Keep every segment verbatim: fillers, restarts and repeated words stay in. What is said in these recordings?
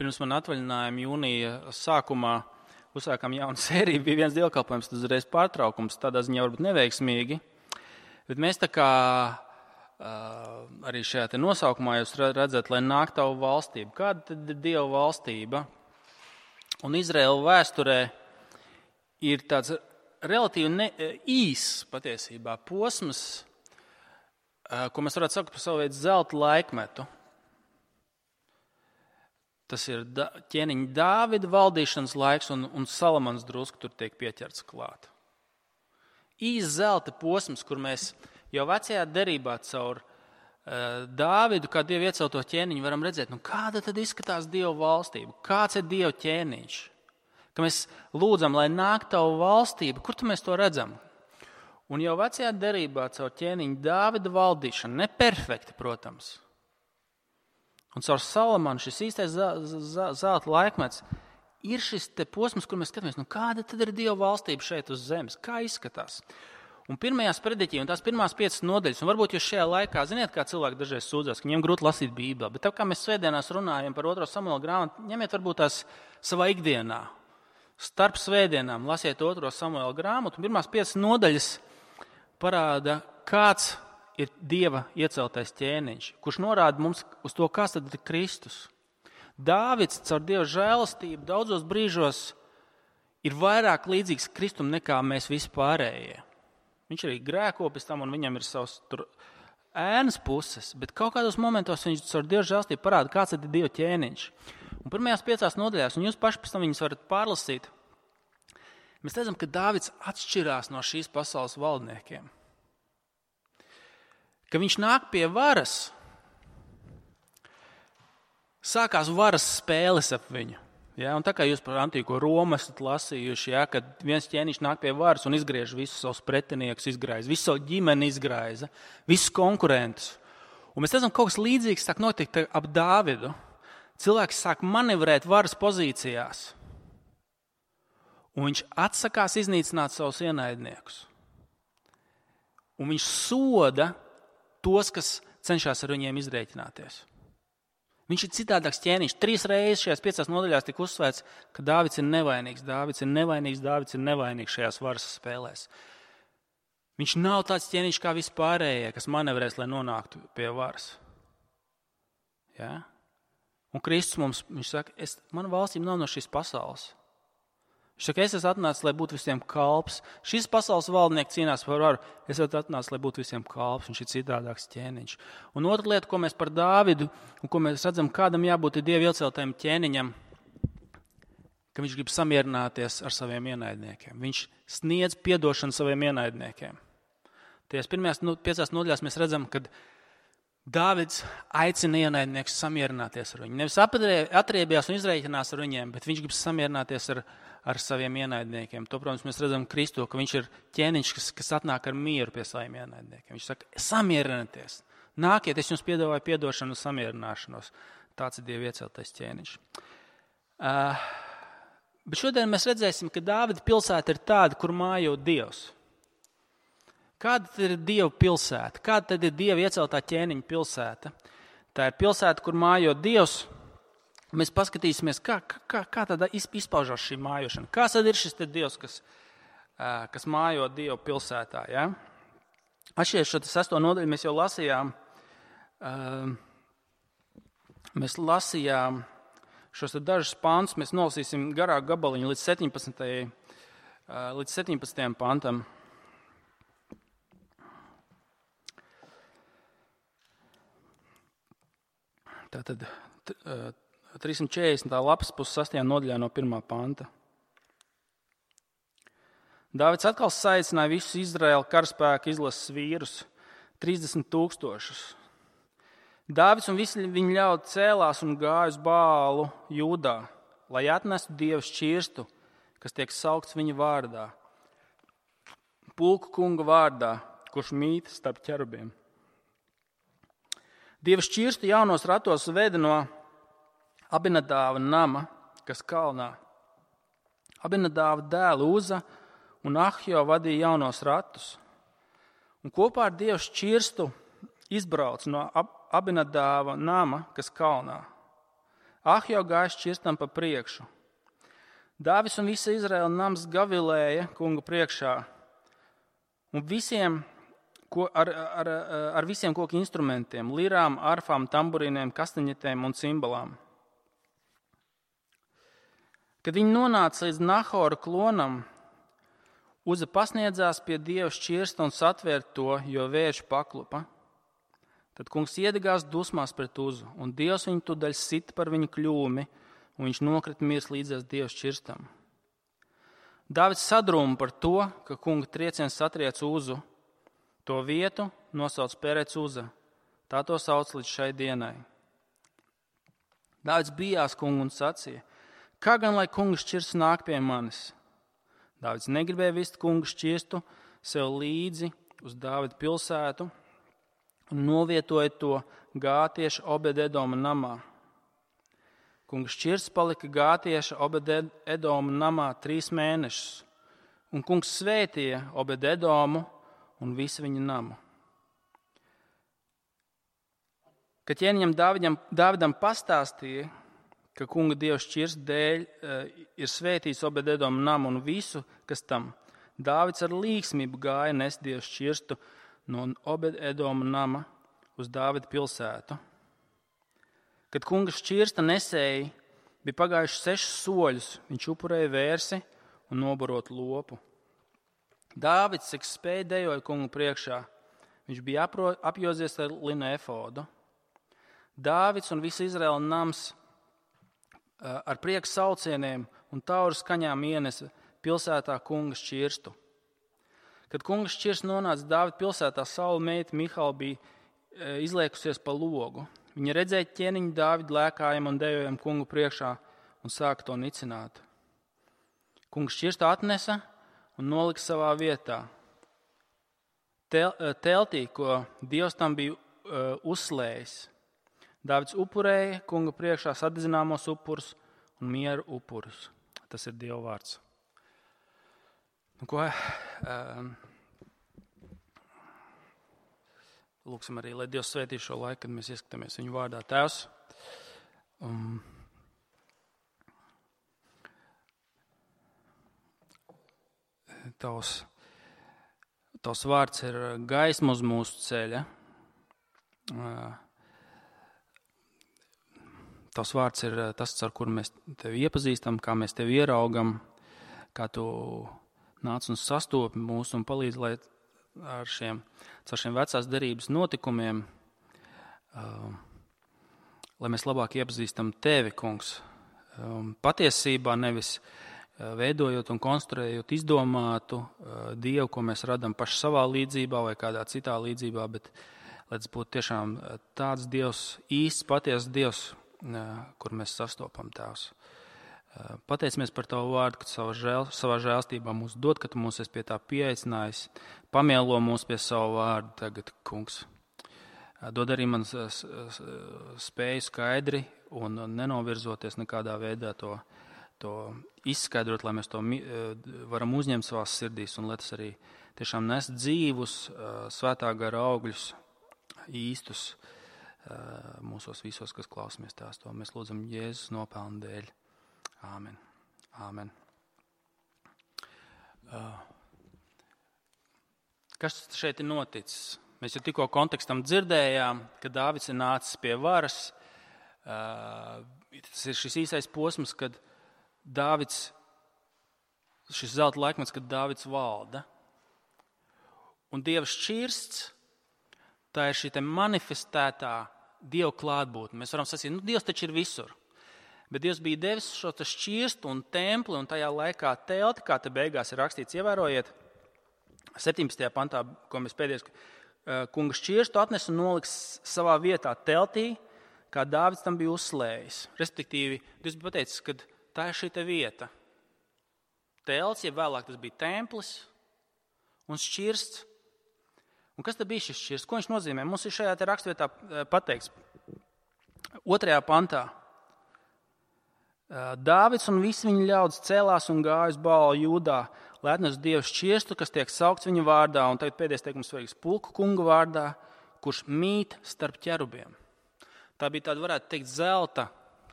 pirms man atvaļinājuma jūnija sākumā uzsākām jaunu sēriju, bija viens dievkalpojums, tad uzreiz pārtraukums, tādā ziņā varbūt neveiksmīgi. Bet mēs tā kā arī šajā te nosaukumā jūs redzat, lai nāk tavu valstību. Kāda tad ir Dieva valstība? Un Izraēla vēsturē ir tāds relatīvi ne, īs patiesībā posms, ko mēs varētu saukt par savu veidu zelta laikmetu. Tas ir da, ķēniņa Dāvida valdīšanas laiks un, un Salamans drusku tur tiek pieķerts klāt. Īs zelta posms, kur mēs jau vecajā derībā caur uh, Dāvidu, kā Dievu iecelto ķēniņu, varam redzēt, nu kāda tad izskatās Dieva valstība, kāds ir Dieva ķēniņš. Ka mēs lūdzam, lai nāk tavu valstība, kur tu mēs to redzam? Un jau vecajā derībā caur ķēniņu Dāvida valdīšanu, neperfekti, protams, un caur Salamanu šis īstais zelta laikmets ir šis te posms, kur mēs skatāmies, nu kāda tad ir Dieva valstība šeit uz zemes, kā izskatās. Un pirmajās prediķī, un tās pirmās piecas nodaļas, un varbūt jūs šajā laikā, ziniet, kā cilvēki dažreiz sūdzās, ka viņiem grūti lasīt Bībeli, bet tā kā mēs svētdienās runājam par otro Samuela grāmatu, ņemiet varbūt tās savā ikdienā. Starp svētdienām lasiet otro Samuela grāmatu, un pirmās piecas nodaļas parāda, kāds ir Dieva ieceltais ķēniņš, kurš norāda mums uz to, kas tad ir Kristus. Dāvids caur Dieva žēlastību daudzos brīžos ir vairāk līdzīgs Kristum nekā mēs visi pārējie. Viņš arī grēko pēc tam, un viņam ir savs tur ēnas puses, bet kaut kādos momentos viņš caur Dieva žēlastību parāda, kāds tad ir Dieva ķēniņš. Un pirmajās piecās nodaļās, un jūs paši pēc tam viņas varat pārlasīt, mēs redzam, ka Dāvids atšķirās no šīs pasaules valdniekiem. Ka viņš nāk pie varas, sākās varas spēles ap viņu. Ja? Un tā kā jūs par antīko Romu esat lasījuši, ja? Kad viens ķēniņš nāk pie varas un izgriež visus savus pretiniekus, izgraiza, visu savu ģimeni izgraiza, visus konkurentus. Un mēs redzam, kaut kas līdzīgs sāk notikt ap Dāvidu. Cilvēks sāk manevrēt varas pozīcijās. Un viņš atsakās iznīcināt savus ienaidniekus. Un viņš soda tos, kas cenšas ar viņiem izrēķināties. Viņš ir citādāks ķēniņš. Trīs reizes šajās piecās nodaļās tika uzsvērts, ka Dāvids ir nevainīgs, Dāvids ir nevainīgs, Dāvids ir nevainīgs šajās varas spēlēs. Viņš nav tāds ķēniņš kā vispārējie, kas manevrēs, lai nonāktu pie varas. Ja? Un Kristus mums, viņš saka, es, mana valstība nav no šīs pasaules. Viņš saka, es esmu atnācis, lai būtu visiem kalps. Šis pasaules valdnieks cīnās par varu. Es esmu atnācis, lai būtu visiem kalps. Viņš ir citādāks ķēniņš. Un otra lieta, ko mēs par Dāvidu, un ko mēs redzam, kādam jābūt Dieva ieceltajam ķēniņam, ka viņš grib samierināties ar saviem ienaidniekiem. Viņš sniedz piedošanu saviem ienaidniekiem. Tajās pirmajās nu, piecās nodaļās mēs redzam, ka Dāvids aicina ienaidniekus samierināties ar viņu. Nevis atriebjās un izrēķinās ar viņiem, bet viņš grib samierināties ar, ar saviem ienaidniekiem. To, protams, mēs redzam Kristu, ka viņš ir ķēniņš, kas, kas atnāk ar mieru pie saviem ienaidniekiem. Viņš saka, samierināties, nākiet, es jums piedāvāju piedošanu un samierināšanos. Tāds ir Dieva ieceltais ķēniņš. Uh, bet šodien mēs redzēsim, ka Dāvida pilsēta ir tāda, kur mājo Dievs. Kāda tad ir Dieva pilsēta? Kāda tad ir Dieva ieceltā ķēniņa pilsēta? Tā ir pilsēta, kur mājo Dievs. Mēs paskatīsimies, kā, kā, kā tad izpaužās šī mājošana. Kas tad ir šis te Dievs, kas, kas mājo Dieva pilsētā? Ja? Atšķies šo sesto nodaļu mēs jau lasījām. Mēs lasījām šos te dažus pantus. Mēs nolasīsim garāku gabaliņu līdz septiņpadsmitajam līdz septiņpadsmitajam pantam. Tātad trīssimt četrdesmitā lapas puses sastajā nodaļā no pirmā panta. Dāvids atkal saicināja visus Izraēla karaspēka izlases vīrus, trīsdesmit tūkstošus. Dāvids un visi viņa ļaudi cēlās un gāja uz Bālu Jūdā, lai atnestu Dieva šķirstu, kas tiek saukts viņa vārdā, pulku kunga vārdā, kurš mīt starp ķerubiem. Dieva šķirstu jaunos ratos veda no Abinadāva nama, kas kalnā. Abinadāva dēli Uza un Ahjo vadīja jaunos ratus. Un kopā ar Dieva šķirstu izbrauc no Abinadāva nama, kas kalnā. Ahjo gāja šķirstam pa priekšu. Dāvis un visa Izraēla nams gavilēja kunga priekšā, un visiem, ko, ar, ar, ar visiem koku instrumentiem, lirām, arfām, tamburīniem, kastaņetēm un cimbalām. Kad viņi nonāca līdz Nahora klonam, Uza pasniedzās pie Dieva šķirsta un satvēra to, jo vējš paklupa. Tad kungs iedegās dusmās pret Uzu, un Dievs viņu tūdaļ sita par viņu kļūmi, un viņš nokrita mirs līdzās Dieva šķirstam. Dāvids sadrūma par to, ka kunga trieciens satriec Uzu. To vietu nosauc Perec Uza. Tā to sauc līdz šai dienai. Dāvids bijās kungu un sacīja: kā gan lai kunga šķirsts nāk pie manis? Dāvids negribēja vist kunga šķirstu sev līdzi uz Dāvida pilsētu un novietoja to Gātieša Obed-Edoma namā. Kunga šķirsts palika Gātieša Obed-Edoma namā trīs mēnešus, un kungs svētīja Obed-Edomu un visu viņa namu. Kad ķēniņam Dāvidam, Dāvidam pastāstīja, ka kunga Dieva šķirsta dēļ uh, ir svētīts Obed-Edoma namu un visu, kas tam, Dāvids ar līgsmību gāja nest Dieva šķirstu no Obed-Edoma nama uz Dāvida pilsētu. Kad kunga šķirsta nesēji bija pagājuši sešus soļus, viņš upurēja vērsi un nobarot lopu. Dāvids, cik spēja, dejoja kungu priekšā. Viņš bija apro, apjozies ar linu efodu. Dāvids un visa Izraēla nams ar prieku saucieniem un tauru skaņām ienesa pilsētā kunga šķirstu. Kad kunga šķirsts nonāca Dāvida pilsētā, Saula meita Mihāla bija izliekusies pa logu. Viņa redzēja ķēniņu Dāvidu lēkājam un dejojam kungu priekšā un sāka to nicināt. Kunga šķirstu atnesa un nolika savā vietā. Tel, teltī, ko Dievs tam bija uh, uzslējis. Dāvids upurēja kunga priekšā sadedzināmos upurus un mieru upurus. Tas ir Dieva vārds. Nu, ko, um, lūksim arī, lai Dievs svētī šo laiku, kad mēs ieskatāmies viņu vārdā. Tēvs, um, tavs, tavs vārds ir gaisma uz mūsu ceļa. Uh, Tavs vārds ir tas, ar kuru mēs tevi iepazīstam, kā mēs tevi ieraugam, kā tu nāc un sastopi mūs un palīdz, lai ar šiem, ar šiem vecās derības notikumiem, uh, lai mēs labāk iepazīstam tevi, kungs. Um, patiesībā nevis uh, veidojot un konstruējot izdomātu uh, Dievu, ko mēs radam paši savā līdzībā vai kādā citā līdzībā, bet lai tas būtu tiešām tāds Dievs, īsts, patiesas Dievs, kur mēs sastopam, Tēvs. Pateicamies par Tavu vārdu, ka savā, žēl, savā žēlstībā mūs dod, ka Tu mūs esi pie tā pieaicinājis. Pamielo mūs pie savu vārdu tagad, kungs. Dod arī man spēju skaidri un nenovirzoties nekādā veidā to, to izskaidrot, lai mēs to varam uzņemt savās sirdīs un lai tas arī tiešām nes dzīvus, svētā gara augļus, īstus, mūsos visos, kas klausamies tās to. Mēs lūdzam Jēzus nopelnu dēļ. Āmen. Āmen. Kas šeit ir noticis? Mēs jau tikko kontekstam dzirdējām, ka Dāvids ir nācis pie varas. Tas ir šis īsais posms, kad Dāvids, šis zelta laikmets, kad Dāvids valda. Un Dieva šķirsts, tā ir šī te manifestētā Dieva klātbūtne. Mēs varam sacīt, nu Dievs taču ir visur. Bet Dievs bija devis šo šķirstu un templi un tajā laikā telti, kā te beigās ir rakstīts, ievērojiet, septiņpadsmitajā pantā, ko mēs pēdējais, kunga šķirstu atnes un noliks savā vietā teltī, kā Dāvids tam bija uzslējis. Respektīvi, Dievs bija pateicis, ka tā ir šī te vieta. Telts, ja vēlāk tas bija templis un šķirsts. Un kas tad bija šis šķirsts? Ko viņš nozīmē? Mums ir šajā te rakstvietā pateikts. Otrajā pantā. Dāvids un visi viņa ļaudis cēlās un gāja uz Bālu Jūdā, lai atnestu Dieva šķirstu, kas tiek saukts viņa vārdā, un tagad pēdējais teikums svarīgs, pulku kunga vārdā, kurš mīt starp ķerubiem. Tā bija tāda, varētu teikt, zelta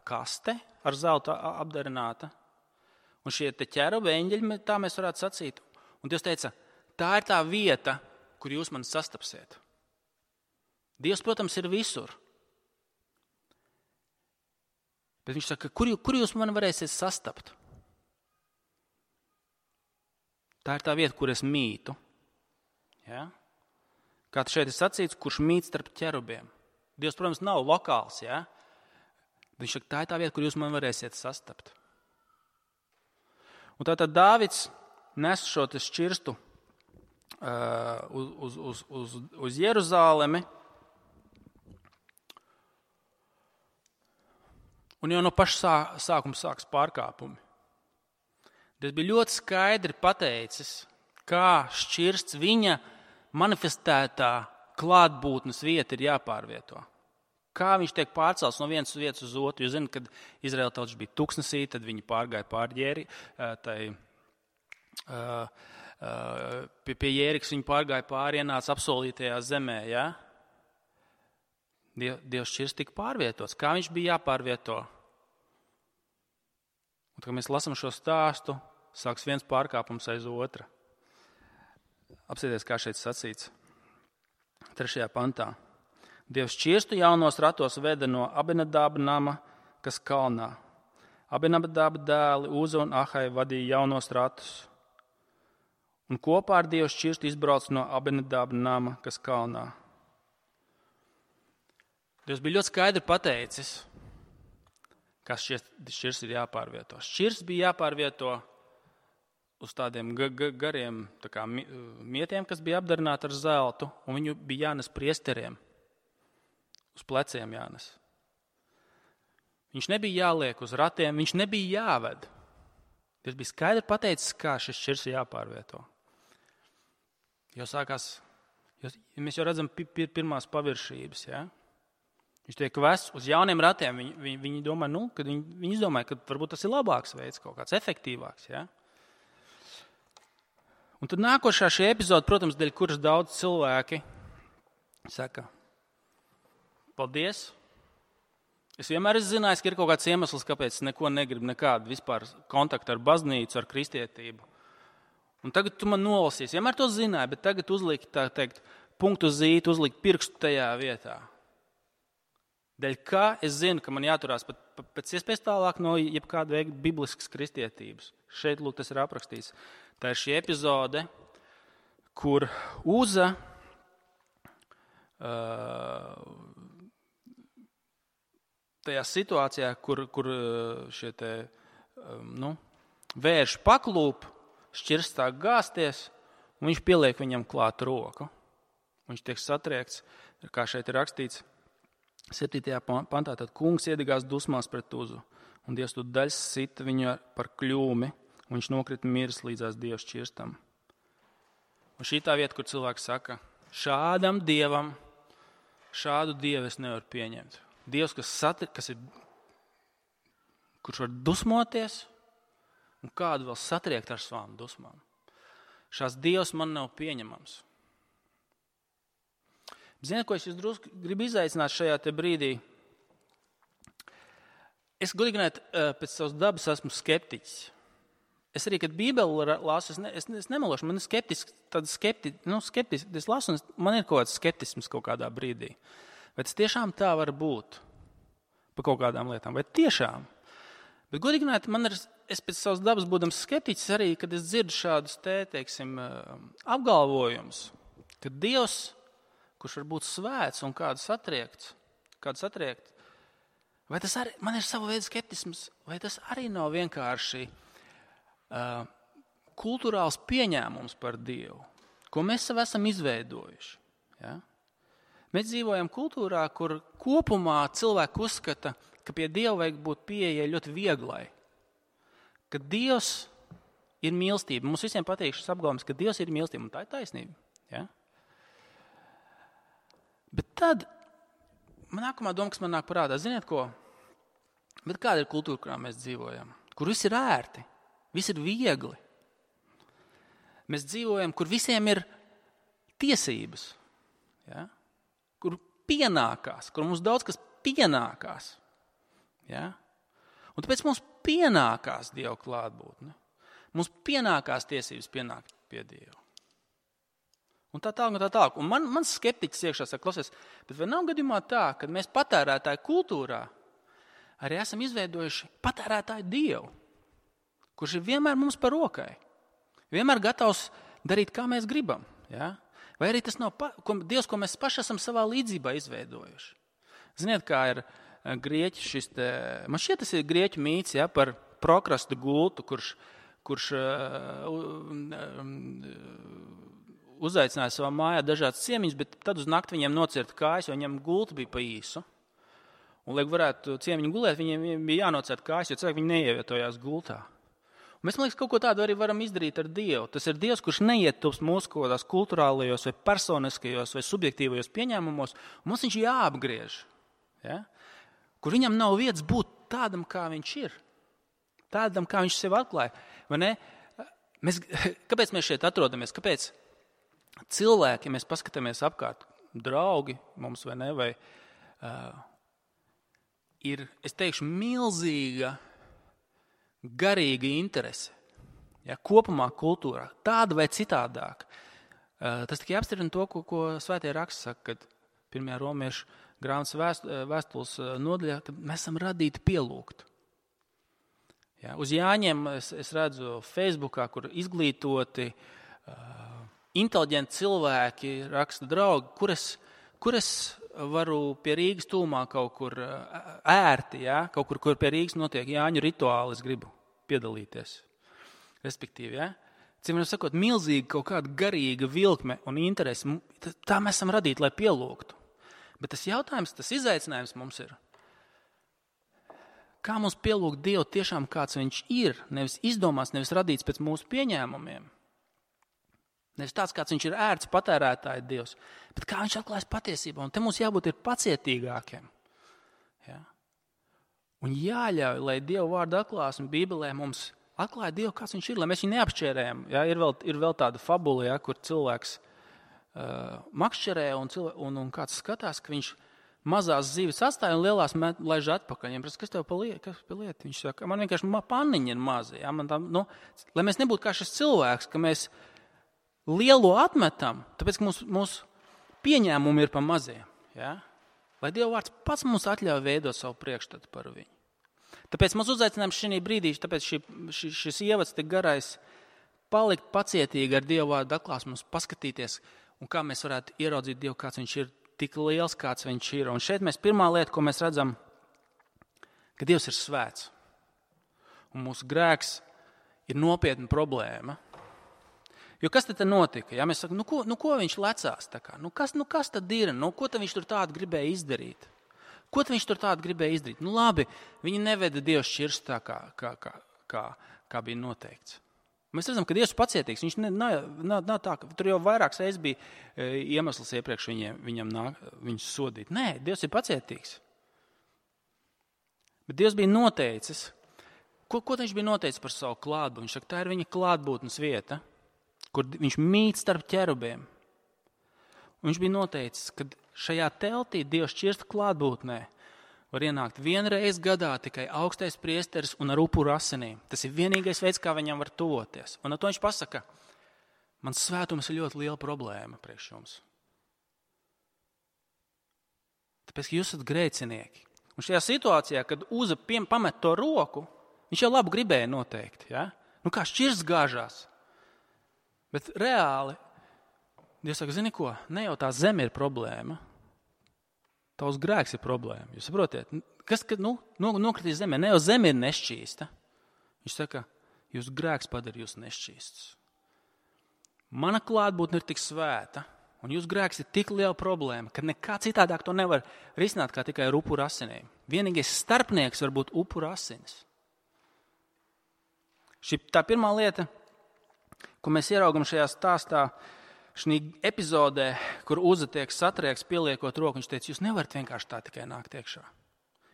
kaste ar zeltu apdarināta. Un šie te ķerubi, eņģeļi, tā mēs varētu sacīt. Un Dievs teica, tā ir tā vieta, kur jūs mani sastapsiet. Dievs, protams, ir visur. Bet viņš saka, kur, kur jūs mani varēsiet sastapt? Tā ir tā vieta, kur es mītu. Ja? Kā šeit ir sacīts, kurš mīt starp ķerubiem. Dievs, protams, nav lokāls. Ja? Bet viņš saka, tā ir tā vieta, kur jūs mani varēsiet sastapt. Un tātad Dāvids nes šo te šķirstu uh, uz, uz, uz, uz Jeruzālemi. Un jau no paša sā, sākuma sāks pārkāpumi. Tas bija ļoti skaidri pateicis, kā šķirsts viņa manifestētā klātbūtnes vieta ir jāpārvieto. Kā viņš tiek pārcelts no vienas vietas uz otru. Jūs zināt, kad Izraēla tautas bija tuksnesī, tad viņi pārgāja pār Jēri, tai, pie, pie Jērikas viņi pārgāja pāri, ienāca apsolītajā zemē. Ja? Dievs šķirsts tika pārvietots. Kā viņš bija jāpārvieto? Un, kad mēs lasām šo stāstu, sāks viens pārkāpums aiz otra. Apsieties, kā šeit sacīts. Trešajā pantā. Dievs šķirstu jaunos ratos veda no Abinadāba nama, kas kalnā. Abinadāba dēli Uza un Ahai vadīja jaunos ratus. Un kopā ar Dievu šķirstu izbrauc no Abinadāba nama, kas kalnā. Dievs bija ļoti skaidri pateicis, kas šķirsts ir jāpārvieto. Šķirsts bija jāpārvieto uz tādiem gariem tā kā mietiem, kas bija apdarināti ar zeltu, un viņu bija jānes priesteriem. Uz pleciem jānes. Viņš nebija jāliek uz ratiem, viņš nebija jāved. Tas bija skaidri pateicis, kā šis šķirsts ir jāpārvieto. Jau sākās, jau, mēs jau redzam pirmās paviršības, ja? Viņš tiek vests uz jauniem ratiem. Viņi, viņi, viņi domā, nu, kad viņi, viņi izdomāja, ka varbūt tas ir labāks veids, kaut kāds efektīvāks, ja? Un tad nākošā šī epizode, protams, dēļ kuras daudz cilvēki saka, paldies. Es vienmēr esmu zinājis, ka ir kaut kāds iemesls, kāpēc es neko negribu, nekādu vispār kontaktu ar baznīcu, ar kristietību. Un tagad tu man nolasīsi. Vienmēr to zināju, bet tagad uzlikt, tā teikt, punktu zīti, uzlikt pirkstu tajā vietā. Dēļ kā es zinu, ka man jāturās pat, pat pēc iespējas tālāk no jebkāda veida bibliskas kristietības. Šeit, lūk, tas ir aprakstīts. Tā ir šī epizode, kur Uza uh, tajā situācijā, kur, kur šie te, um, nu, vērši paklūp, šķirsts tā gāsties, un viņš pieliek viņam klāt roku. Viņš tiek satriekts, kā šeit ir rakstīts, septītajā pantā, tad kungs iedegās dusmās pret Uzu, un Dievs tu daļs sita viņu par kļūmi, un viņš nokrita miris līdzās Dieva šķirstam. Un šī tā vieta, kur cilvēks saka, šādam Dievam, šādu Dievu es nevaru pieņemt. Dievs, kas, satri, kas ir, kurš var dusmoties, un kādu vēl satriekt ar savām dusmām. Šās Dievs man nav pieņemams. Ziniet, ko es jūs drusku gribu izaicināt šajā te brīdī? Es godīgi runājot, pēc savas dabas esmu skeptiķis. Es arī, kad Bībeli lasu, es, ne, es, es nemelošu, man ir skeptisks, tāds skepti, nu, skeptisks, es lasu, un man ir kaut kāds skeptisms kaut kādā brīdī. Vai tas tiešām tā var būt par kaut kādām lietām? Vai tiešām? Bet godīgi runājot, man ir, es pēc savas dabas būdams skeptiķis arī, kad es dzirdu šādus te, teiksim, apgalvojumus, ka Dievs, kurš var būt svēts un kādu satriekts, kādu satriekt, vai tas arī, man ir sava veida skeptisms, vai tas arī nav vienkārši uh, kultūrāls pieņēmums par Dievu, ko mēs sev esam izveidojuši. Ja? Mēs dzīvojam kultūrā, kur kopumā cilvēki uzskata, ka pie Dieva vajag būt pieejai ļoti vieglai, ka Dievs ir mīlestība. Mums visiem patīk šis apgalvojums, ka Dievs ir mīlestība, un tā ir taisnība. Ja? Bet tad, man nākamā doma, kas man nāk parādā, ziniet ko? Bet kāda ir kultūra, kurā mēs dzīvojam? Kur viss ir ērti, viss ir viegli. Mēs dzīvojam, kur visiem ir tiesības, ja? Kur pienākās, kur mums daudz kas pienākās. Ja? Un tāpēc mums pienākās Dieva klātbūtne. Mums pienākās tiesības pienākt pie Dieva. Un tā tālāk, un tā tālāk. Un man, man skeptiķis iekšā saka, klausies, bet vai nav gadījumā tā, ka mēs patērētāju kultūrā arī esam izveidojuši patērētāju Dievu, kurš ir vienmēr mums par rokai, vienmēr gatavs darīt, kā mēs gribam. Ja? Vai arī tas nav pa, ko, Dievs, ko mēs paši esam savā līdzībā izveidojuši. Ziniet, kā ir grieķi šis te, man šķiet, tas ir grieķu mīts, ja, par prokrastu gultu, kurš, kurš uh, uh, uzaicināja savā mājā dažādas ciemiņus, bet tad uz nakti viņiem nocirta kājas, jo viņiem gulta bija pa īsu. Un, lai varētu ciemiņu gulēt, viņiem bija jānocirta kājas, jo cilvēki viņi neievietojās gultā. Un mēs, man liekas, kaut ko tādu arī varam izdarīt ar Dievu. Tas ir Dievs, kurš neietilpst mūsu kaut kādās kulturālajos vai personiskajos vai subjektīvajos pieņēmumos, un mums viņš jāapgriež. Ja? Kur viņam nav vietas būt tādam, kā viņš ir. Tādam, kā viņš sev atklāja. Vai ne? Mēs, kāpēc mēs šeit atrodamies? Kāpēc cilvēki, ja mēs paskatāmies apkārt, draugi mums vai ne, vai uh, ir, es teikšu, milzīga garīga interese, ja, kopumā kultūrā, tāda vai citādāk. Uh, tas tikai apstiprina to, ko, ko Svētie raksti saka, kad pirmajā romiešu grāmatas vēst, vēstules nodaļā, ka mēs esam radīti pielūgt. Ja, uz Jāņiem es, es redzu Facebookā, kur izglītoti, uh, inteliģenti cilvēki raksta draugi, kur es, kur es varu pie Rīgas tūmā kaut kur ērti, ja? Kaut kur, kur pie Rīgas notiek Jāņu rituāli, es gribu piedalīties. Respektīvi, ja? Cimēr sakot, milzīgi kaut kāda garīga vilkme un interesi, tā mēs esam radīti, lai pielūgtu. Bet tas jautājums, tas izaicinājums mums ir, kā mums pielūgt Dievu tiešām kāds viņš ir, nevis izdomās, nevis radīts pēc mūsu pieņēmumiem. Nevis tāds, kāds viņš ir ērts patērētāja Dievs, bet kā viņš atklājas patiesībā. Un te mums jābūt ir pacietīgākiem. Ja? Un jāļauj, lai Dieva vārda atklāsme Bībelē mums atklāja Dievu, kāds viņš ir, lai mēs viņu neapšķērējam. Ja? Ir, vēl, ir vēl tāda fabula, ja, kur cilvēks uh, makšķerē un, cilvē, un, un kāds skatās, ka viņš mazās zivis atstāja un lielās laiž atpakaļ. Viņam prasa, kas tev pa lieta? lieta? Viņš saka, man vienkārši panniņa ir maza. Ja? Man tā, nu, lai mēs nebūtu kā šis cilvēks, ka mēs lielo atmetam, tāpēc, ka mūsu, mūsu pieņēmumi ir pa maziem. Ja? Lai Dieva vārds pats mums atļauj veidot savu priekšstatu par viņu. Tāpēc mums uzaicinājums šī brīdī, tāpēc šī, šis, šis ievads tik garais, palikt pacietīgi ar Dieva vārdu atklāsmu, mums paskatīties, un kā mēs varētu ieraudzīt Dievu, kāds viņš ir, tik liels, kāds viņš ir. Un šeit mēs pirmā lieta, ko mēs redzam, ka Dievs ir svēts. Un mūsu grēks ir nopietna problēma. Jo kas tad notika? Ja mēs sakam, nu ko, nu ko viņš lecās? Tā kā? Nu kas, nu kas tad ir? Nu ko tad viņš tur tādu gribēja izdarīt? Ko tad viņš tur tādu gribēja izdarīt? Nu labi, viņi neveda Dievu šķirst tā, kā, kā, kā, kā, kā bija noteikts. Mēs redzam, ka Dievs pacietīgs. Viņš ne, nav, nav, nav tā, ka tur jau vairākas reizes bija e, iemesls iepriekš viņiem, viņam nāk, viņus sodīt. Nē, Dievs ir pacietīgs. Bet Dievs bija noteicis. Ko, ko viņš bija noteicis par savu klātbūtni? Viņš saka, tā ir viņa klātbūtnes vieta, kur viņš mīt starp ķerubiem. Un viņš bija noteicis, ka šajā teltī Dievs šķirsta klātbūtnē var ienākt vienreiz gadā tikai augstais priesteris un ar upuru asinīm. Tas ir vienīgais veids, kā viņam var tuvoties. Un ar to viņš pasaka, mans svētums ir ļoti liela problēma priekš jums. Tāpēc, ka jūs esat grēcinieki. Un šajā situācijā, kad Uza pamet to roku, viņš jau labu gribēja noteikti. Ja? Nu kā šķirsts gāžās. Bet reāli, Dievs saka, zini ko, ne jau tā zeme ir problēma, tavs grēks ir problēma. Jūs saprotiet, kas, kad nu, nokritīs zemē, ne jau zeme ir nešķīsta. Viņš saka, jūs grēks padara jūs nešķīstus. Mana klātbūtne ir tik svēta, un jūs grēks ir tik liela problēma, ka nekā citādāk to nevar risināt, kā tikai ar upuru asinīm. Vienīgais starpnieks var būt upuru asinis. Šī tā pirmā lieta, ko mēs ieraugam šajā stāstā, šī epizodē, kur Uza tiek satrieks, pieliekot roku, viņš teica, jūs nevarat vienkārši tā tikai nākt iekšā.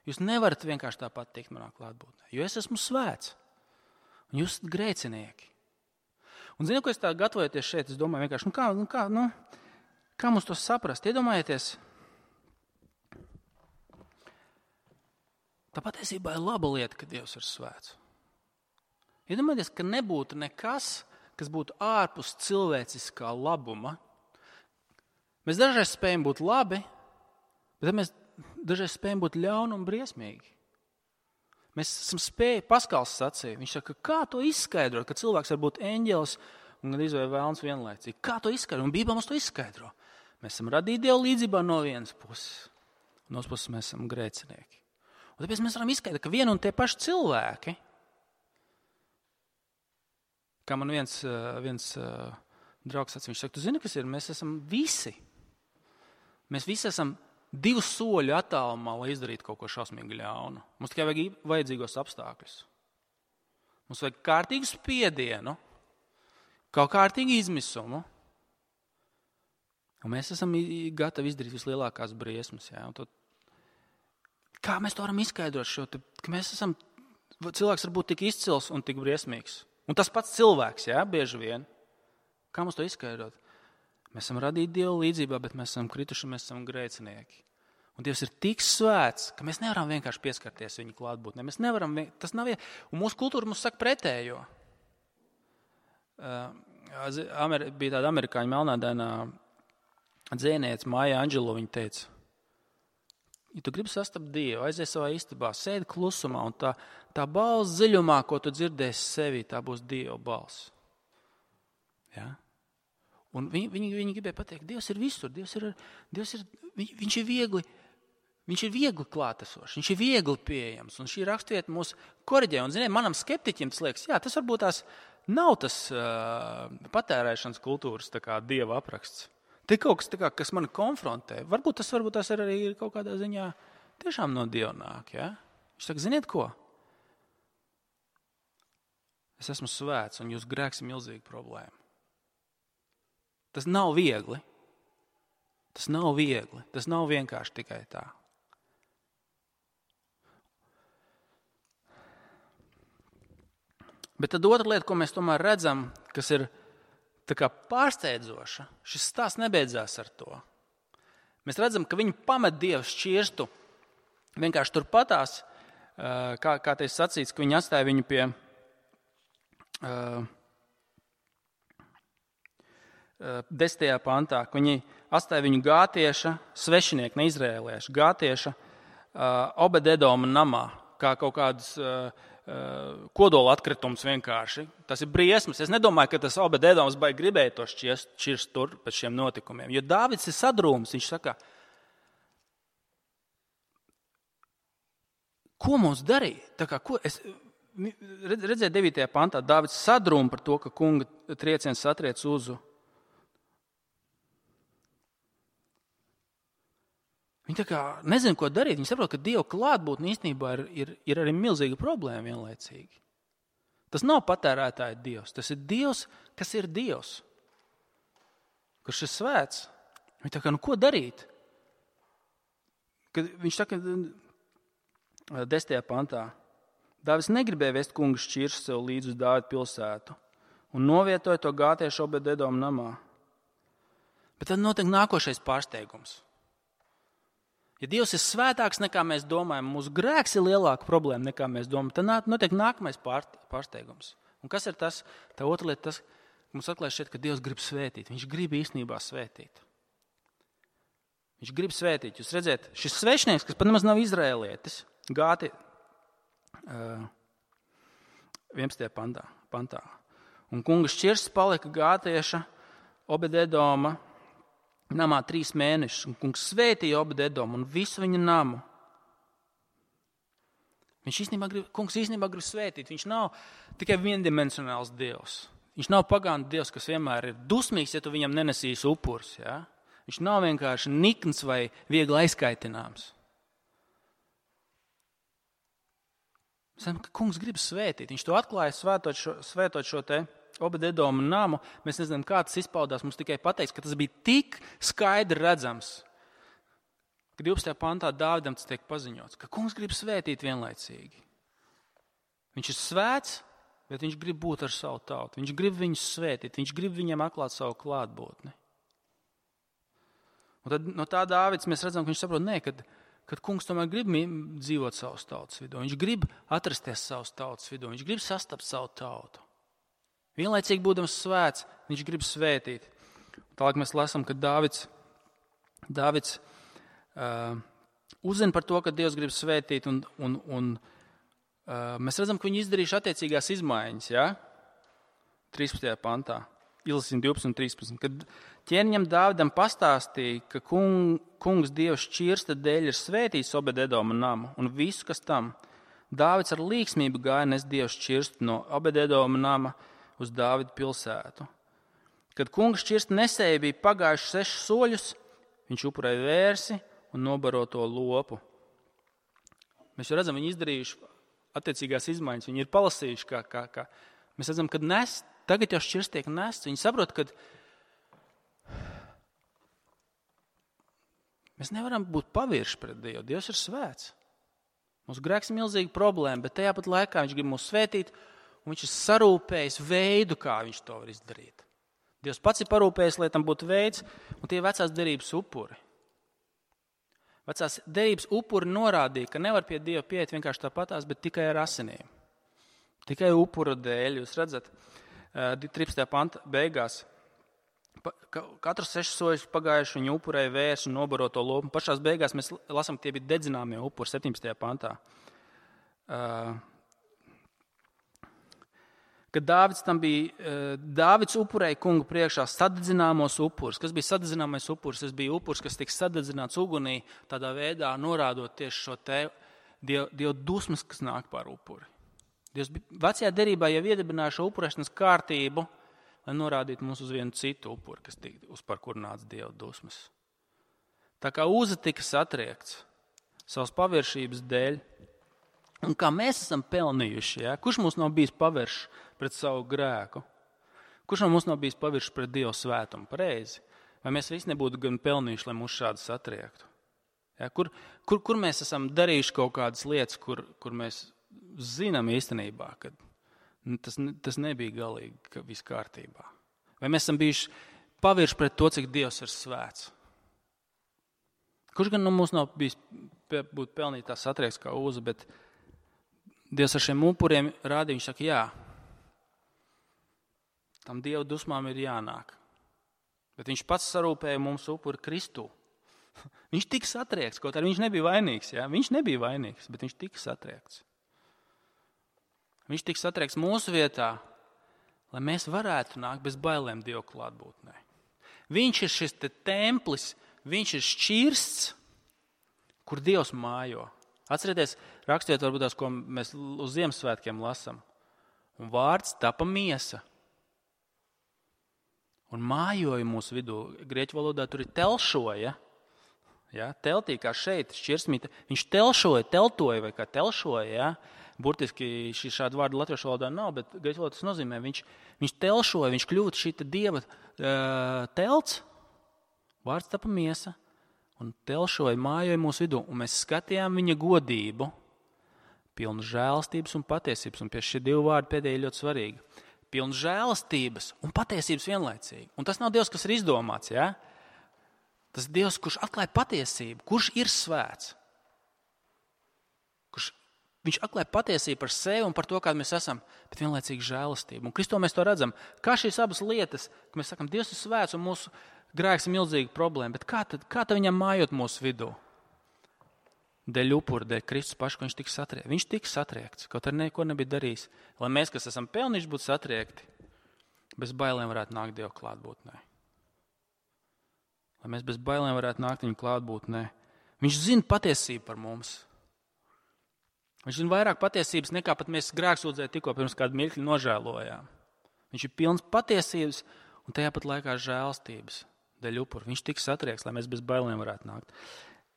Jūs nevarat vienkārši tāpat tikt manā klātbūtnē, jo es esmu svēts, un jūs esat grēcinieki. Un zinu, ko es tā gatavojoties šeit, es domāju vienkārši, nu kā, nu kā, nu, kā mums to saprast? Iedomājieties, Tā patiesībā ir laba lieta, ka Dievs ir svēts. Iedomājieties, ka nebūtu nekas, kas būtu ārpus cilvēciskā labuma. Mēs dažreiz spējam būt labi, bet mēs dažreiz spējam būt ļauni un briesmīgi. Mēs esam spēji, Paskals sacīja, viņš saka, kā to izskaidrot, ka cilvēks var būt eņģelis un gan izvēl vēlns vienlaicīgi. Kā to izskaidrot? Un Bībele mums to izskaidro. Mēs esam radīti Dieva līdzībā no vienas puses, un no otras puses mēs esam grēcinieki. Un tāpēc mēs varam izskaidrot, ka vien un tie paši cilvēki, kā man viens, viens draugs sacīja, viņš saka, tu zini, kas ir? Mēs esam visi. Mēs visi esam divu soļu attālumā, lai izdarītu kaut ko šausmīgi ļaunu. Mums tikai vajag vajadzīgos apstākļus. Mums vajag kārtīgu spiedienu, kaut kārtīgu izmisumu, un mēs esam gatavi izdarīt vislielākās briesmas. Jā, un to, kā mēs to varam izskaidrot šo, ka mēs esam, cilvēks var būt tik izcils un tik briesmīgs. Un tas pats cilvēks, jā, bieži vien. Kā mums to izskaidrot? Mēs esam radīti Dieva līdzībā, bet mēs esam krituši, mēs esam grēcinieki. Un Dievs ir tik svēts, ka mēs nevaram vienkārši pieskarties viņa klātbūtnē. Mēs nevaram, tas nav, un mūsu kultūra mums saka pretējo. Uh, bija tāda amerikāņu melnādainā dzēniece Maja Anģelo, viņa teica, ja tu gribi sastapt Dievu, aizies savā istabā, sēdi klusumā, un tā, tā balss dziļumā, ko tu dzirdēsi sevī, tā būs Dieva balss. Ja? Un viņi, viņi, viņi gribēja pateikt, Dievs ir visur, Dievs ir, Dievs ir, viņ, viņš ir viegli, viņš ir viegli klātesošs, viņš ir viegli pieejams, un šī rakstvieta mūs koriģē. Un, ziniet, manam skeptiķim tas liekas, jā, tas varbūt tās nav tas uh, patērēšanas kultūras tā kā Dieva apraksts. Te kaut kas, tā kā, kas mani konfrontē. Varbūt tas, varbūt tas arī ir kaut kādā ziņā tiešām no Dieva nāk. Ja? Viņš saka, ziniet ko? Es esmu svēts, un jūs grēks ir milzīga problēma. Tas nav viegli. Tas nav viegli. Tas nav vienkārši tikai tā. Bet tad otra lieta, ko mēs tomēr redzam, kas ir tā kā pārsteidzoša, šis stāsts nebeidzās ar to. Mēs redzam, ka viņi pamet Dievu šķirstu vienkārši turpatās, kā, kā teiks sacīts, ka viņi atstāja viņu pie uh, desmitajā pantā, ka viņi atstāja viņu gātieša, svešinieka, ne izrēlieša, gātieša uh, Obededoma namā, kā kaut kādas uh, kodola atkritums vienkārši. Tas ir briesmas. Es nedomāju, ka tas Obededoms baigi gribēja to šķirst, šķirst tur pēc šiem notikumiem. Jo Dāvids ir sadrūms. Viņš saka, ko mums darīt? Tā kā, ko es, redzēju devītajā pantā, Dāvids sadrūm par to, ka kunga trieciens satriec uzu. Viņi tā kā nezina, ko darīt. Viņi saprot, ka Dieva klātbūtne īstenībā ir, ir, ir arī milzīga problēma vienlaicīgi. Tas nav patērētāja Dievs. Tas ir Dievs, kas ir Dievs. Kurš ir svēts. Viņi tā kā, nu ko darīt? Kad viņš saka, desmitajā pantā, Dāvids negribēja vest kunga šķirstu sev līdz uz Dāvida pilsētu un novietoja to gātiešu Obededoma namā. Bet tad notiek nākošais pārsteigums. Ja Dievs ir svētāks nekā mēs domājam, mūsu grēks ir lielāka problēma nekā mēs domājam, tad notiek nākamais pārsteigums. Un kas ir tas? Tā otra lieta, tas, mums atklājas šeit, ka Dievs grib svētīt. Viņš grib īstenībā svētīt. Viņš grib svētīt. Jūs redzēt, šis svešnieks, kas pat nemaz nav izrēlietis, gāti uh, vienpadsmitajā pantā, pantā. Un kunga šķirsts palika gātieša Obededoma namā trīs mēnešus, un kungs svētīja Obededomu un visu viņa namu. Viņš īstenībā grib, kungs īstenībā grib svētīt. Viņš nav tikai viendimensionāls Dievs. Viņš nav pagānu Dievs, kas vienmēr ir dusmīgs, ja tu viņam nenesīsi upurs. Ja? Viņš nav vienkārši nikns vai viegli aizkaitināms. Mēs zinām, ka kungs grib svētīt. Viņš to atklāja svētot šo, svētot šo te Obededoma namu. Mēs nezinām, kā tas izpaudās. Mums tikai pateiks, ka tas bija tik skaidri redzams, ka divpadsmitajā pantā Dāvidam tas tiek paziņots, ka kungs grib svētīt vienlaicīgi. Viņš ir svēts, bet viņš grib būt ar savu tautu. Viņš grib viņus svētīt. Viņš grib viņiem atklāt savu klātbūtni. Un tad no tā Dāvids mēs redzam, ka viņš saprot, nē, kad kad kungs tomēr grib dzīvot savas tautas vidū. Viņš grib atrasties savas tautas vidū. Viņš grib sastapt savu tautu. Vienlaicīgi būdams svēts, viņš grib svētīt. Tālāk mēs lasām, ka Dāvids, Dāvids uh, uzzina par to, ka Dievs grib svētīt, un, un, un uh, mēs redzam, ka viņi izdarījuši attiecīgās izmaiņas, ja? trīspadsmitajā pantā. Izlasīsim divpadsmit un trīspadsmit. Kad ķēniņam Dāvidam pastāstīja, ka kung, kungs Dievs šķirsta dēļ ir svētījis Obed-Edoma namu un visu, kas tam, Dāvids ar līksmību gāja nes Dievs šķirstu no Obed-Edoma nama uz Dāvida pilsētu. Kad kungs šķirsta nesēja bija pagājuši sešus soļus, viņš upurēja vērsi un nobaro to lopu. Mēs jau redzam, viņi izdarījuši attiecīgās izmaiņas, viņi ir palasījuši, kā, kā, kā. Mēs redzam, kad nes, tagad jau šķirsts tiek nests. Viņi saprot, ka mēs nevaram būt pavirši pret Dievu. Dievs ir svēts. Mums grēks ir milzīga problēma, bet tajā pat laikā viņš grib mūs svētīt, un viņš ir sarūpējis veidu, kā viņš to var izdarīt. Dievs pats ir parūpējis, lai tam būtu veids, un tie vecās derības upuri. Vecās derības upuri norādīja, ka nevar pie Dieva pieiet vienkārši tāpatās, bet tikai ar asinīm. Tikai upura dēļ. Jūs redzat, trīspadsmitajā panta beigās, katrs sešas soļus pagājuši, viņi upurēja vērsu un nobaro to lopu. Pašās beigās mēs lasām, ka tie bija dedzināmie upuri septiņpadsmitajā pantā. Kad Dāvids tam bija, Dāvids upurēja kungu priekšā sadedzināmos upurus. Kas bija sadedzināmais upurs? Tas bija upurs, kas tika sadedzināts ugunī, tādā veidā norādot tieši šo te Dievu, Dievu dusmas, kas nāk pār upuri. Dievs vecajā derībā jau iedibināja šo upurēšanas kārtību, lai norādītu mums uz vienu citu upuri, kas tika, uz par kur nāca Dieva dusmas. Tā kā Uza tika satriekts savas paviršības dēļ, un kā mēs esam pelnījuši, ja? Kurš mums nav bijis paviršs pret savu grēku? Kurš no mums nav bijis paviršs pret Dieva svētumu? Pareizi. Vai mēs visi nebūtu gan pelnījuši, lai mūs šādi satriektu? Ja? Kur, kur, kur mēs esam darījuši kaut kādas lietas, kur, kur mēs zinām īstenībā, ka tas, tas nebija galīgi, ka viss kārtībā. Vai mēs esam bijuši pavirši pret to, cik Dievs ir svēts? Kurš gan no mums nav bijis būt pelnīt tā satrieks kā Uza, bet Dievs ar šiem upuriem rādīja, viņš saka, jā, tam Dieva dusmām ir jānāk. Bet viņš pats sarūpēja mums upuri Kristū. Viņš tika satriekts, kaut arī viņš nebija vainīgs. Jā? Viņš nebija vainīgs, bet viņš tika satriekts. Viņš tika satriekts mūsu vietā, lai mēs varētu nākt bez bailēm Dieva klātbūtnē. Viņš ir šis te templis, viņš ir šķirsts, kur Dievs mājo. Atcerieties, rakstiet varbūt tās, ko mēs uz Ziemassvētkiem lasam. Un vārds tapa miesa. Un mājoja mūsu vidū. Grieķu valodā tur ir telšoja. Ja? Teltī kā šeit, šķirsmīte. Viņš telšoja, teltoja vai kā telšoja, ja? Burtiski šī šāda vārda latviešu valodā nav, bet grieķu valodā tas nozīmē, viņš, viņš telšoja, viņš kļūst šī Dieva uh, telts, vārds tapa miesa, un telšoja, mājoja mūsu vidū, un mēs skatījām viņa godību, pilnu žēlastības un patiesības, un pie šie divi vārdi pēdējie ļoti svarīgi. Pilnu žēlastības un patiesības vienlaicīgi. Un tas nav Dievs, kas ir izdomāts, ja? Tas ir Dievs, kurš atklāja patiesību, kurš ir svēts. Kurš Viņš atklāja patiesību par sevi un par to, kāda mēs esam, bet vienlaicīgi žēlastību. Un Kristū mēs to redzam, kā šīs abas lietas, ka mēs sakam, Dievs ir svēts un mūsu grēks ir milzīga problēma, bet kā tad, kā tad viņam mājot mūsu vidū? Dēļ upura, dēļ Kristus pašu, ka viņš tika satriekts. Viņš tika satriekts, kaut arī neko nebija darījis. Lai mēs, kas esam pelnījuši būt satriekti, bez bailēm varētu nākt Dieva klātbūtnē. Lai mēs bez bailēm varētu nākt viņa klātbūtnē. Viņš zina patiesību par mums. Viņš zina vairāk patiesības, nekā pat mēs grēksūdzēji tikko pirms kādu mirkli nožēlojām. Viņš ir pilns patiesības un tajā pat laikā žēlstības dēļ upura. Viņš tika satriekts, lai mēs bez bailēm varētu nākt.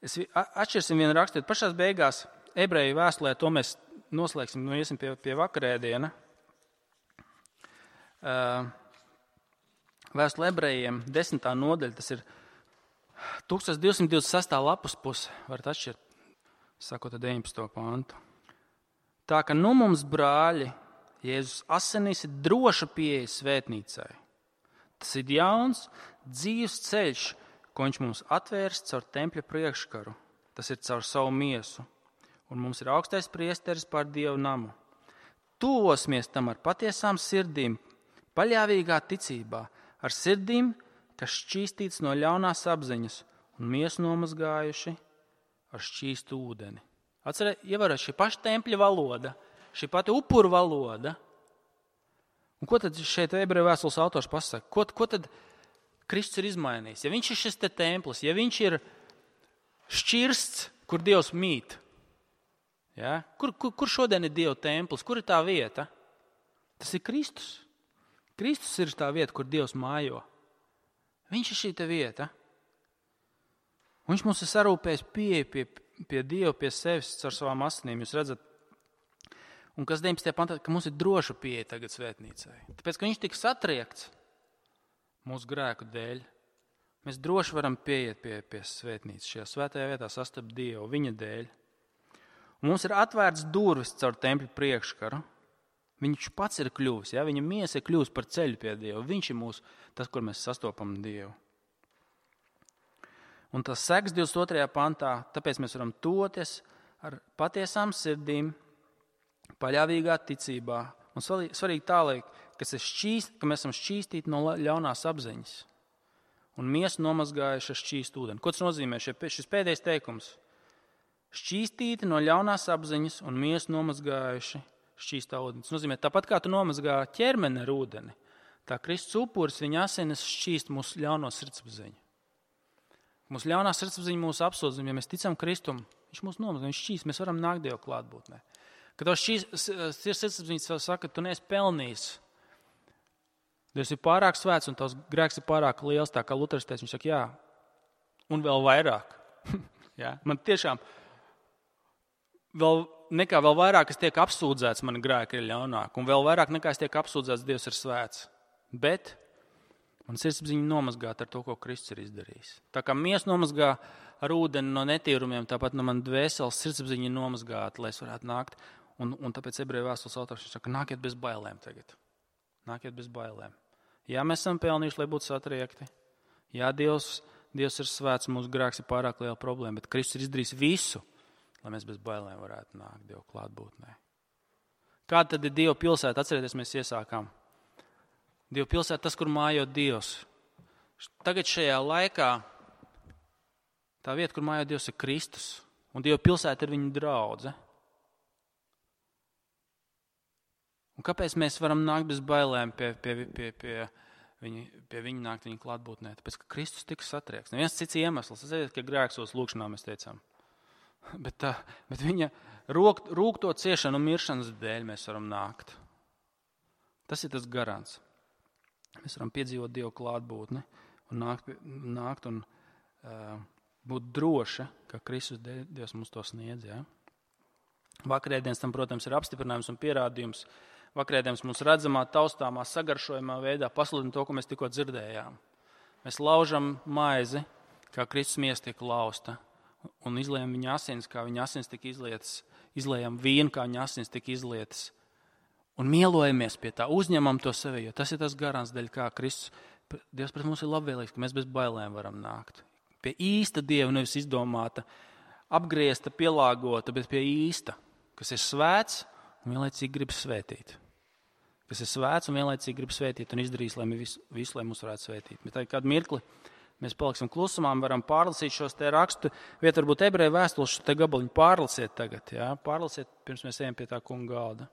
Es atšķirsim vienu rakstiet. Pašās beigās ebreju vēstulē, to mēs noslēgsim, nu iesim pie, pie vakarēdiena. Vēstule ebrejiem, desmitā nodaļa, tas ir tūkstoš divsimt divdesmit sestā lapas puse, varat atšķirt, sakot ar deviņpadsmito pantu. Tā ka nu mums, brāļi, Jēzus asinīs ir droša pieeja svētnīcai. Tas ir jauns, dzīves ceļš, ko viņš mums atvērs caur tempļa priekškaru. tas ir caur savu miesu. Un mums ir augstais priesteris pār Dievu namu. Tuvosimies tam ar patiesām sirdīm, paļāvīgā ticībā, ar sirdīm, kas šķīstīts no ļaunās apziņas un miesu nomazgājuši ar šķīstu ūdeni. Atcerēt, ievērot šī paša tempļa valoda, šī pati upuru valoda. Un ko tad šeit ebreju vēstules autors pasaka? Ko, ko tad Kristus ir izmainījis? Ja viņš ir šis te templis, ja viņš ir šķirsts, kur Dievs mīt, ja? kur, kur, kur šodien ir Dieva templis? Kur ir tā vieta? Tas ir Kristus. Kristus ir tā vieta, kur Dievs mājo. Viņš ir šī te vieta. Un viņš mums ir sarūpējis pieeja pie, pie Dieva, pie sevis ar savām asinīm. Jūs redzat, un kas deviņpadsmitajā pantā, ka mums ir droša pieeja tagad svētnīcai. Tāpēc, ka viņš tika satriekts mūsu grēku dēļ, mēs droši varam pieiet pie, pie svētnīcas, šajā svētajā vietā sastapt Dievu, viņa dēļ. Un mums ir atvērts durvis caur tempļu priekškaru. Viņš pats ir kļuvis, ja? Viņa miesa ir kļuvis par ceļu pie Dieva. Viņš ir mūsu, tas, kur mēs sastopam Dievu. Un tas seks divdesmit otrajā pantā, tāpēc mēs varam toties ar patiesām sirdīm, paļāvīgā ticībā. Un svarīgi tālāk, ka mēs esam šķīstīti no ļaunās apziņas un miesu nomazgājuši ar šķīstu ūdeni. Ko tas nozīmē? Šis pēdējais teikums. Šķīstīti no ļaunās apziņas un miesu nomazgājuši šķīstā ūdeni. Tas nozīmē, tāpat kā tu nomazgā ķermeni ar ūdeni, tā Kristus upuris, viņa asinis šķīst mūsu ļauno sirdsapziņu. Mūsu ļaunā sirdsapziņa mūsu apsūdz, ja mēs ticam Kristum, viņš mūs nomazgā, viņš šķīst, mēs varam nākt Dievu klātbūtnē. Kad tev sirdsapziņa saka, ka tu neesi pelnījis, Dievs ir pārāk svēts un tavs grēks ir pārāk liels, tā kā Luters teica, viņš saka, jā, un vēl vairāk. jā, man tiešām vēl nekā vēl vairāk es tiek apsūdzēts, mani grēki ir ļaunāk, un vēl vairāk nekā es tiek apsūdzēts, Dievs ir svēts. Bet man sirdsapziņa nomazgāt ar to, ko Kristus ir izdarījis. Tā kā miesa nomazgā ar ūdeni no netīrumiem, tāpat no man dvēseles sirdsapziņa ir nomazgāta, lai es varētu nākt. Un, un tāpēc ebreju vēstules autors saka, nākiet bez bailēm tagad. Nākiet bez bailēm. Jā, mēs esam pelnījuši, lai būtu satriekti. Jā, Dievs, Dievs ir svēts, mūsu grēks ir pārāk liela problēma, bet Kristus ir izdarījis visu, lai mēs bez bailēm varētu nākt Dievu klātbūtnē. Kāda tad ir Dieva pilsēta? Atcerieties, mēs iesākām. Dieva pilsēta, tas, kur mājo Dievs. Tagad šajā laikā tā vieta, kur mājo Dievs, ir Kristus. Un Dieva pilsēta ir viņa draudze. Un kāpēc mēs varam nākt bez bailēm pie, pie, pie, pie, viņa, pie viņa nākt viņa klātbūtnē? Tāpēc, ka Kristus tika satriekts. Neviens cits iemesls. Es zinu, ka grēksos lūkšanā mēs teicām. Bet, tā, bet viņa rūk, rūkto ciešanu un miršanas dēļ mēs varam nākt. Tas ir tas garants. Mēs varam piedzīvot Dievu klātbūtni un nākt, nākt un uh, būt droši, ka Kristus Dievs mums to sniedz. Ja? Vakarēdienas tam, protams, ir apstiprinājums un pierādījums. Vakarēdienas mums redzamā, taustāmā, sagaršojumā veidā pasludina to, ko mēs tikko dzirdējām. Mēs laužam maizi, kā Kristus miesa tiek lausta, un izliejam viņa asins, kā viņa asins tika izlietas, izliejam vīnu, kā viņa asins tika izlietas. Un mielojamies pie tā, uzņemam to sevi, jo tas ir tas garants, dēļ kā Kristus, Dievs pret mums ir labvēlīgs, ka mēs bez bailēm varam nākt. Pie īsta Dieva, nevis izdomāta, apgriezta, pielāgota, bet pie īsta, kas ir svēts un vienlaicīgi grib svētīt. Kas ir svēts un vienlaicīgi grib svētīt un izdarīs, lai visu, visu, lai mūs varētu svētīt. Bet tā kādu mirkli mēs paliksim klusumā, varam pārlasīt šos te rakstu, vieta varbūt ebreju vēstules, šo te gabaliņu pārlasiet tagad, jā, pārlasiet, pirms mēs ejam pie tā kunga galda.